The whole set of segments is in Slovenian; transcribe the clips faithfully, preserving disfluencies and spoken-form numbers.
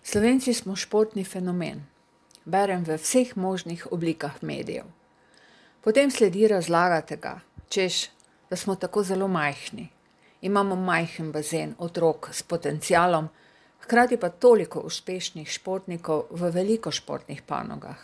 Slovenci smo športni fenomen. Berem v vseh možnih oblikah medijev. Potem sledi razlaga tega, češ, da smo tako zelo majhni. Imamo majhen bazen otrok s potencialom, hkrati pa toliko uspešnih športnikov v veliko športnih panogah.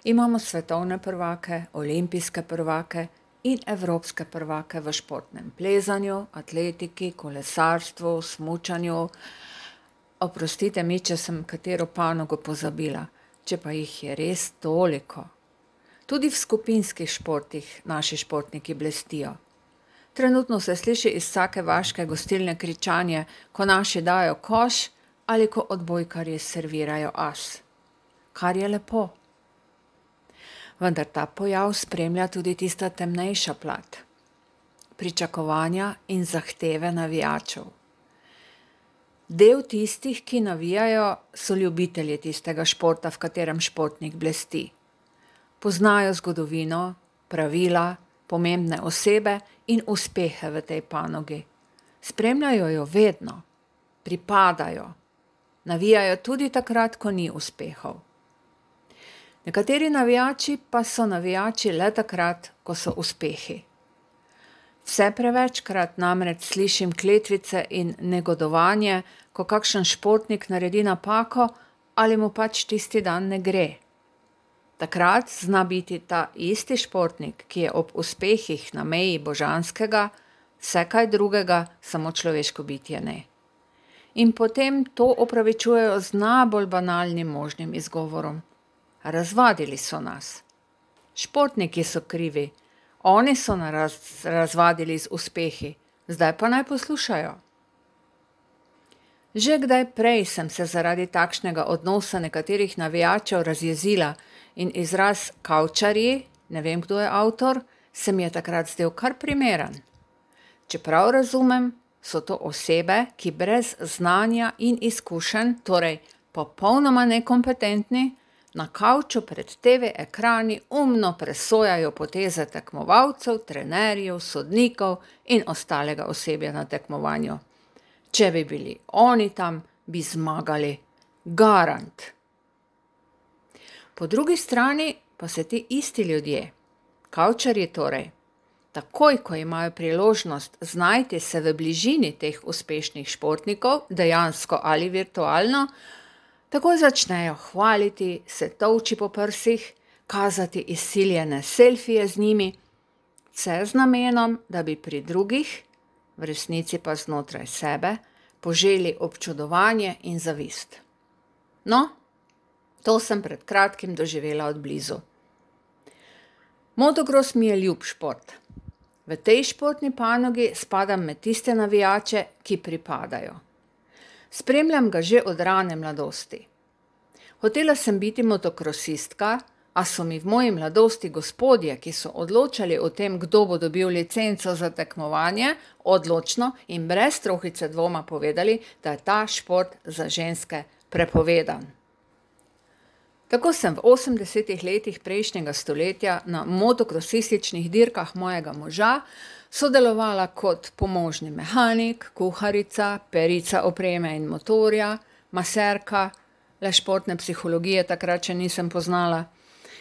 Imamo svetovne prvake, olimpijske prvake in evropske prvake v športnem plezanju, atletiki, kolesarstvu, smučanju. Oprostite mi, če sem katero panogo pozabila, če pa jih je res toliko. Tudi v skupinskih športih naši športniki blestijo. Trenutno se sliši iz vsake vaške gostilne kričanje, ko naši dajo koš ali ko odbojkarji servirajo as. Kar je lepo. Vendar ta pojav spremlja tudi tista temnejša plat. Pričakovanja in zahteve navijačev. Del tistih, ki navijajo, so ljubitelji tistega športa, v katerem športnik blesti. Poznajo zgodovino, pravila, pomembne osebe in uspehe v tej panogi. Spremljajo jo vedno, pripadajo, navijajo tudi takrat, ko ni uspehov. Nekateri navijači pa so navijači le takrat, ko so uspehi. Vse prevečkrat namreč slišim kletvice in negodovanje, ko kakšen športnik naredi napako ali mu pač tisti dan ne gre. Takrat zna biti ta isti športnik, ki je ob uspehih na meji božanskega, vse kaj drugega, samo človeško bitje ne. In potem to opravičujejo z najbolj banalnim možnim izgovorom. Razvadili so nas. Športniki so krivi. Oni so nas raz, razvadili z uspehi, zdaj pa naj poslušajo. Že kdaj prej sem se zaradi takšnega odnosa nekaterih navijačev razjezila in izraz kavčarji, ne vem, kdo je avtor, se mi je takrat zdel kar primeren. Čeprav razumem, so to osebe, ki brez znanja in izkušenj, torej popolnoma nekompetentni, na kavču pred te ve ekrani umno presojajo poteze tekmovalcev, trenerjev, sodnikov in ostalega osebja na tekmovanju. Če bi bili oni tam, bi zmagali. Garant. Po drugi strani pa se ti isti ljudje, kavčarji torej, takoj, ko imajo priložnost znajti se v bližini teh uspešnih športnikov, dejansko ali virtualno, takoj začnejo hvaliti, se tolči po prsih, kazati izsiljene selfije z njimi, vse z namenom, da bi pri drugih, v resnici pa znotraj sebe, poželi občudovanje in zavist. No, to sem pred kratkim doživela od blizu. Motokros mi je ljub šport. V tej športni panogi spadam med tiste navijače, ki pripadajo. Spremljam ga že od rane mladosti. Hotela sem biti motokrosistka, a so mi v moji mladosti gospodje, ki so odločali o tem, kdo bo dobil licenco za tekmovanje, odločno in brez trohice dvoma povedali, da je ta šport za ženske prepovedan. Tako sem v osemdesetih letih prejšnjega stoletja na motokrosističnih dirkah mojega moža sodelovala kot pomožni mehanik, kuharica, perica opreme in motorja, maserka, le športne psihologije takrat še nisem poznala.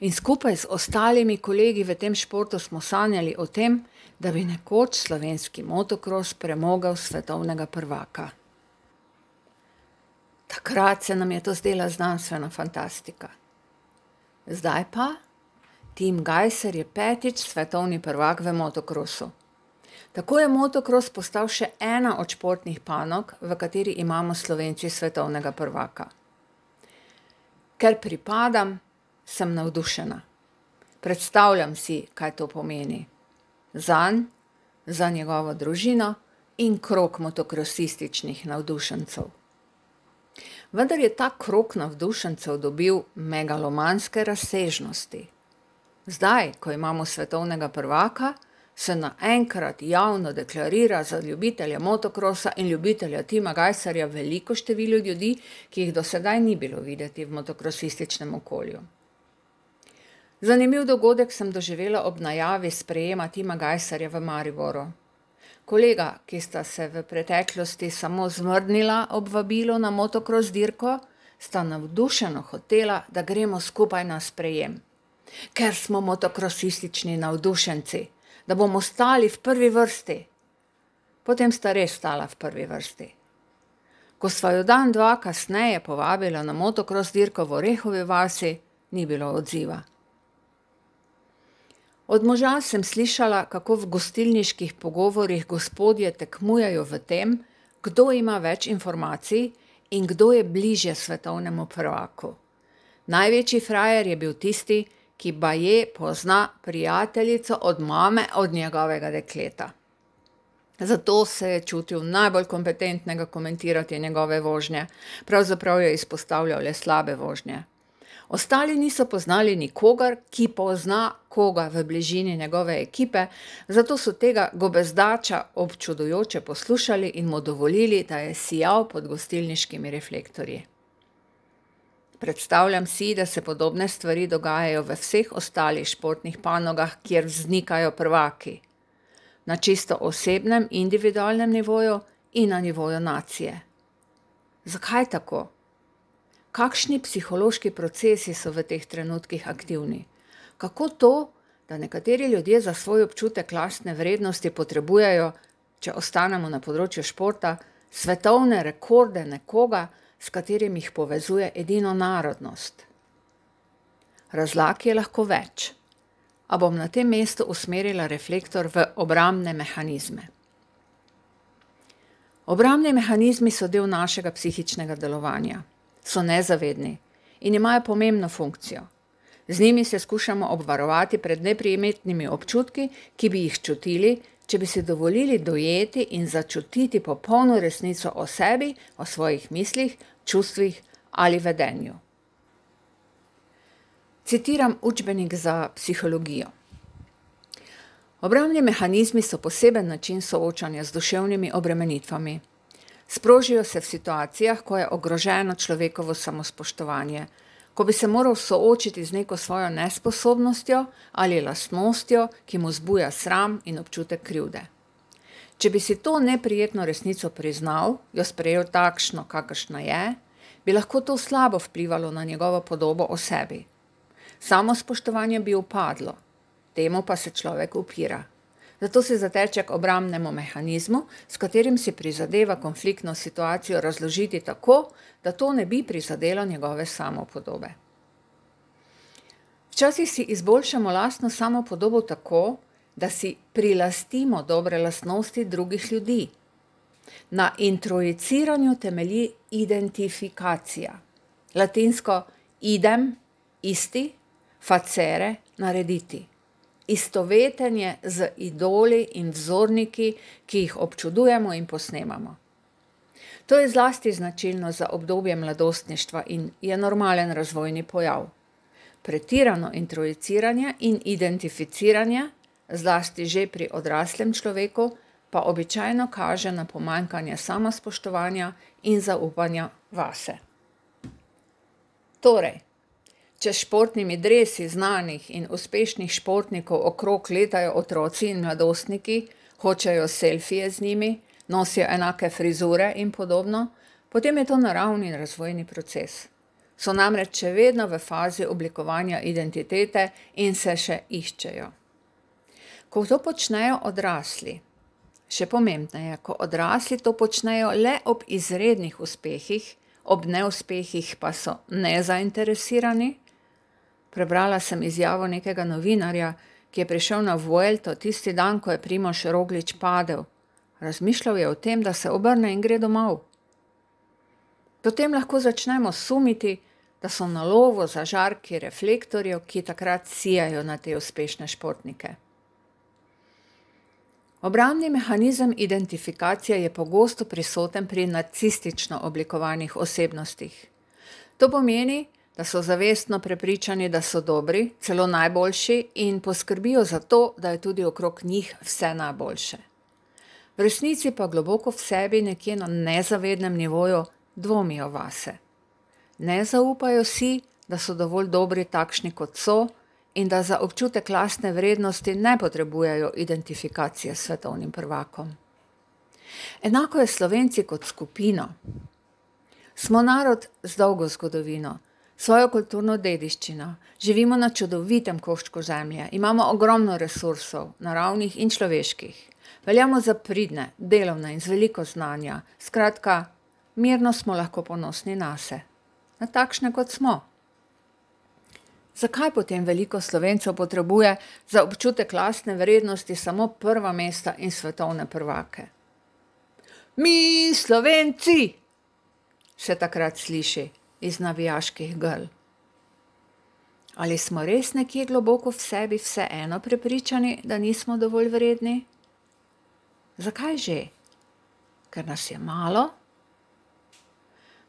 In skupaj z ostalimi kolegi v tem športu smo sanjali o tem, da bi nekoč slovenski motokros premogel svetovnega prvaka. Takrat se nam je to zdela znanstvena fantastika. Zdaj pa Tim Gajser je petič svetovni prvak v motokrosu. Tako je motokros postal še ena od športnih panog, v kateri imamo Slovenci svetovnega prvaka. Ker pripadam, sem navdušena. Predstavljam si, kaj to pomeni. Zanj, za njegovo družino in krog motokrosističnih navdušencev. Vendar je ta krog navdušencev dobil megalomanske razsežnosti. Zdaj, ko imamo svetovnega prvaka, se naenkrat javno deklarira za ljubitelja motokrosa in ljubitelja Tima Gajserja veliko število ljudi, ki jih do sedaj ni bilo videti v motokrosističnem okolju. Zanimiv dogodek sem doživela ob najavi sprejema Tima Gajserja v Mariboru. Kolega, ki sta se v preteklosti samo zmrdnila ob vabilu na motokros dirko, sta navdušeno hotela, da gremo skupaj na sprejem, ker smo motokrosistični navdušenci, da bomo stali v prvi vrsti. Potem sta res stala v prvi vrsti. Ko sva jo dan dva kasneje povabila na motokros dirko v Orehovi vasi, ni bilo odziva. Od moža sem slišala, kako v gostilniških pogovorih gospodje tekmujejo v tem, kdo ima več informacij in kdo je bližje svetovnemu prvaku. Največji frajer je bil tisti, ki baje pozna prijateljico od mame od njegovega dekleta. Zato se je čutil najbolj kompetentnega komentirati njegove vožnje, pravzaprav je izpostavljal le slabe vožnje. Ostali niso poznali nikogar, ki pozna koga v bližini njegove ekipe, zato so tega gobezdača občudujoče poslušali in mu dovolili, da je sijal pod gostilniškimi reflektorji. Predstavljam si, da se podobne stvari dogajajo v vseh ostalih športnih panogah, kjer vznikajo prvaki. Na čisto osebnem, individualnem nivoju in na nivoju nacije. Zakaj tako? Kakšni psihološki procesi so v teh trenutkih aktivni? Kako to, da nekateri ljudje za svoj občutek lastne vrednosti potrebujejo, če ostanemo na področju športa, svetovne rekorde nekoga, s katerim jih povezuje edino narodnost? Razlag je lahko več, a bom na tem mestu usmerila reflektor v obrambne mehanizme. Obrambni mehanizmi so del našega psihičnega delovanja. So nezavedni in imajo pomembno funkcijo. Z njimi se skušamo obvarovati pred neprijetnimi občutki, ki bi jih čutili, če bi si dovolili dojeti in začutiti popolno resnico o sebi, o svojih mislih, čustvih ali vedenju. Citiram učbenik za psihologijo. Obrambni mehanizmi so poseben način soočanja z duševnimi obremenitvami. Sprožijo se v situacijah, ko je ogroženo človekovo samospoštovanje, ko bi se moral soočiti z neko svojo nesposobnostjo ali lastnostjo, ki mu zbuja sram in občutek krivde. Če bi si to neprijetno resnico priznal, jo sprejel takšno, kakršna je, bi lahko to slabo vplivalo na njegovo podobo o sebi. Samospoštovanje bi upadlo, temu pa se človek upira. Zato se zateče k obrambnemu mehanizmu, s katerim si prizadeva konfliktno situacijo razložiti tako, da to ne bi prizadelo njegove samopodobe. Včasih si izboljšamo lastno samopodobo tako, da si prilastimo dobre lastnosti drugih ljudi. Na introjiciranju temelji identifikacija. Latinsko idem, isti, facere, narediti. Istovetenje z idoli in vzorniki, ki jih občudujemo in posnemamo. To je zlasti značilno za obdobje mladostništva in je normalen razvojni pojav. Pretirano introjiciranje in identificiranje, zlasti že pri odraslem človeku, pa običajno kaže na pomanjkanje samospoštovanja in zaupanja vase. Torej, če športnimi dresi znanih in uspešnih športnikov okrog letajo otroci in mladostniki, hočejo selfije z njimi, nosijo enake frizure in podobno, potem je to naravni razvojni proces. So namreč še vedno v fazi oblikovanja identitete in se še iščejo. Ko to počnejo odrasli, še pomembneje, ko odrasli to počnejo le ob izrednih uspehih, ob neuspehih pa so nezainteresirani. Prebrala sem izjavo nekega novinarja, ki je prišel na Vuelto tisti dan, ko je Primož Roglič padel. Razmišljal je o tem, da se obrne in gre domov. Potem lahko začnemo sumiti, da so na lovu za žarki reflektorjev, ki takrat sijajo na te uspešne športnike. Obrambni mehanizem identifikacije je pogosto prisoten pri narcistično oblikovanih osebnostih. To pomeni, da so zavestno prepričani, da so dobri, celo najboljši in poskrbijo za to, da je tudi okrog njih vse najboljše. V resnici pa globoko v sebi, nekje na nezavednem nivoju, dvomijo vase. Ne zaupajo si, da so dovolj dobri takšni, kot so, in da za občutek lastne vrednosti ne potrebujejo identifikacije s svetovnim prvakom. Enako je Slovenci kot skupino. Smo narod z dolgo zgodovino, svojo kulturno dediščino, živimo na čudovitem koščku zemlje, imamo ogromno resursov, naravnih in človeških. Veljamo za pridne, delovne in z veliko znanja, skratka, mirno smo lahko ponosni nase, na takšne kot smo. Zakaj potem veliko Slovencev potrebuje za občutek lastne vrednosti samo prva mesta in svetovne prvake? Mi, Slovenci, se takrat sliši iz navijaških grl. Ali smo res nekje globoko v sebi vseeno prepričani, da nismo dovolj vredni? Zakaj že? Ker nas je malo?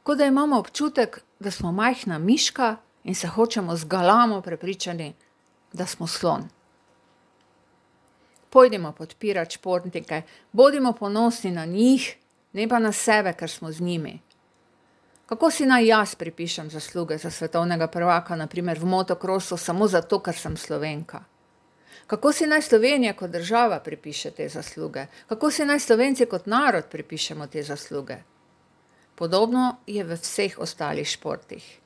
Kot da imamo občutek, da smo majhna miška in se hočemo z galamo prepričani, da smo slon. Pojdimo podpirati športnike, bodimo ponosni na njih, ne pa na sebe, ker smo z njimi. Kako si naj jaz pripišem zasluge za svetovnega prvaka, na primer v motokrosu, samo zato, ker sem Slovenka? Kako si naj Slovenija kot država pripiše te zasluge? Kako si naj Slovenci kot narod pripišemo te zasluge? Podobno je v vseh ostalih športih.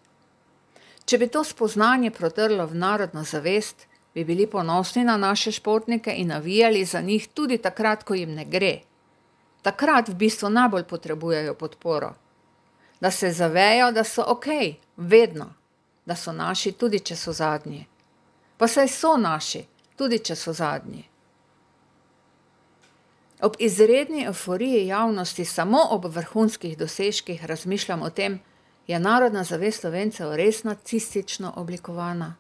Če bi to spoznanje prodrlo v narodno zavest, bi bili ponosni na naše športnike in navijali za njih tudi takrat, ko jim ne gre. Takrat v bistvu najbolj potrebujejo podporo. Da se zavejo, da so okej, vedno, da so naši, tudi če so zadnji. Pa saj so naši, tudi če so zadnji. Ob izredni evforiji javnosti samo ob vrhunskih dosežkih razmišljam o tem, je narodna zavest Slovencev res nacistično oblikovana?